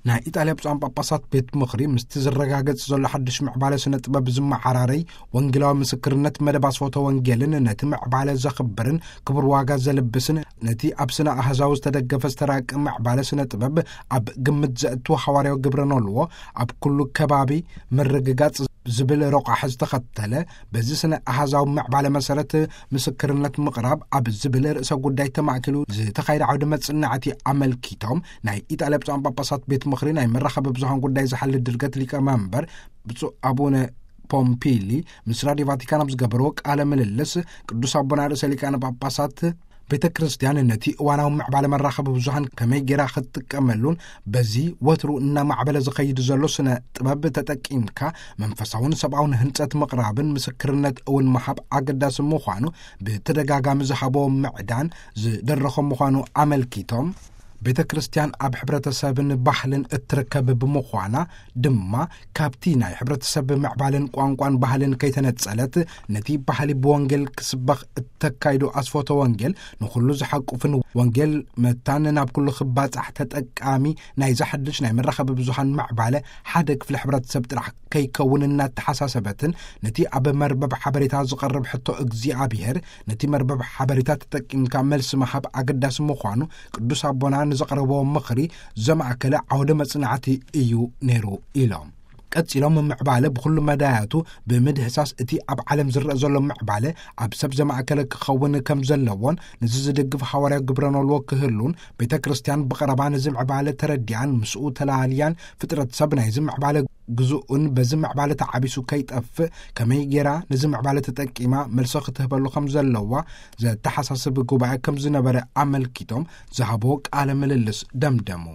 ናይ ኢጣልያ ብፁዓን ጳጳሳት ቤት ምኽሪ ምስቲ ዝረጋገጽ ዘሎ ሓድሽ ምዕባለ ስነ ጥበብ ዝመዓራረይ ወንጌላዊ ምስክርነት መደብ ኣስፎተ ወንጌልን ነቲ ምዕባለ ዘኽብርን ክቡር ዋጋ ዘልብስን ነቲ ኣብ ስነ ኣህዛዊ ዝተደገፈ ዝተራቀ ምዕባለ ስነ ጥበብ ኣብ ግምት ዘእትዎ ሓዋርያዊ ግብረ ኖልዎ ኣብ ኩሉ ከባቢ ምርግጋጽ ዝብል ረቋሒ ዝተኸተለ በዚ ስነ ኣሃዛዊ ምዕባለ መሰረት ምስክርነት ምቕራብ ኣብ ዝብል ርእሰ ጉዳይ ተማእኪሉ ዝተኻየደ ዓውደ መጽናዕቲ ኣመልኪቶም ናይ ኢጣልያ ብፁዓን ጳጳሳት ቤት ምኽሪ ናይ መራኸቢ ብዙሃን ጉዳይ ዝሓሊ ድርገት ሊቀ መንበር ብፁዕ ኣቡነ ፖምፒሊ ምስ ራድዮ ቫቲካን ኣብ ዝገበርዎ ቃለ ምልልስ ቅዱስ ኣቦና ርእሰ ሊቃነ ጳጳሳት ቤተ ክርስቲያን ነቲ እዋናዊ ምዕባለ መራኸቢ ብዙሃን ከመይ ጌራ ክትጥቀመሉን በዚ ወትሩ እናማዕበለ ዝኸይድ ዘሎ ስነ ጥበብ ተጠቂምካ መንፈሳውን ሰብኣውን ህንጸት ምቕራብን ምስክርነት እውን ምሃብ ኣገዳሲ ምዃኑ ብተደጋጋሚ ዝሃቦ ምዕዳን ዝደረኾ ምዃኑ ኣመልኪቶም፣ ቤተ ክርስቲያን ኣብ ሕብረተሰብን ባህልን እትርከብ ብምዃና ድማ ካብቲ ናይ ሕብረተሰብ ምዕባልን ቋንቋን ባህልን ከይተነጸለት ነቲ ባህሊ ብወንጌል ክስበኽ እተካይዶ ኣስፎተ ወንጌል ንኹሉ ዝሓቁፍን ወንጌል መታን ናብ ኩሉ ክባጻሕ ተጠቃሚ ናይ ዝሓድሽ ናይ መራኸቢ ብዙሃን ምዕባለ ሓደ ክፍሊ ሕብረተሰብ ጥራሕ ከይከውን እናተሓሳሰበትን ነቲ ኣብ መርበብ ሓበሬታ ዝቐርብ ሕቶ እግዚኣብሔር ነቲ መርበብ ሓበሬታ ተጠቂምካ መልሲ ምሃብ ኣገዳሲ ምዃኑ ቅዱስ ኣቦና ንዘቕረብዎ ምኽሪ ዘማእከለ ዓውደ መጽናዕቲ እዩ ነይሩ ኢሎም። ቀጺሎም ምዕባለ ብኹሉ መዳያቱ ብምድህሳስ እቲ ኣብ ዓለም ዝረአ ዘሎ ምዕባለ ኣብ ሰብ ዘማእከለ ክኸውን ከም ዘለዎን ንዚ ዝድግፍ ሓዋርያ ግብረ ኖልዎ ክህሉን ቤተ ክርስቲያን ብቐረባ ነዚ ምዕባለ ተረዲኣን ምስኡ ተላልያን ፍጥረት ሰብ ናይዚ ምዕባለ ግዝኡን በዚ ምዕባለ ተዓቢሱ ከይጠፍእ ከመይ ጌራ ነዚ ምዕባለ ተጠቂማ መልሶ ክትህበሉ ከም ዘለዋ ዘተሓሳስብ ጉባኤ ከም ዝነበረ ኣመልኪቶም ዝሃቦ ቃለ ምልልስ ደምደሙ።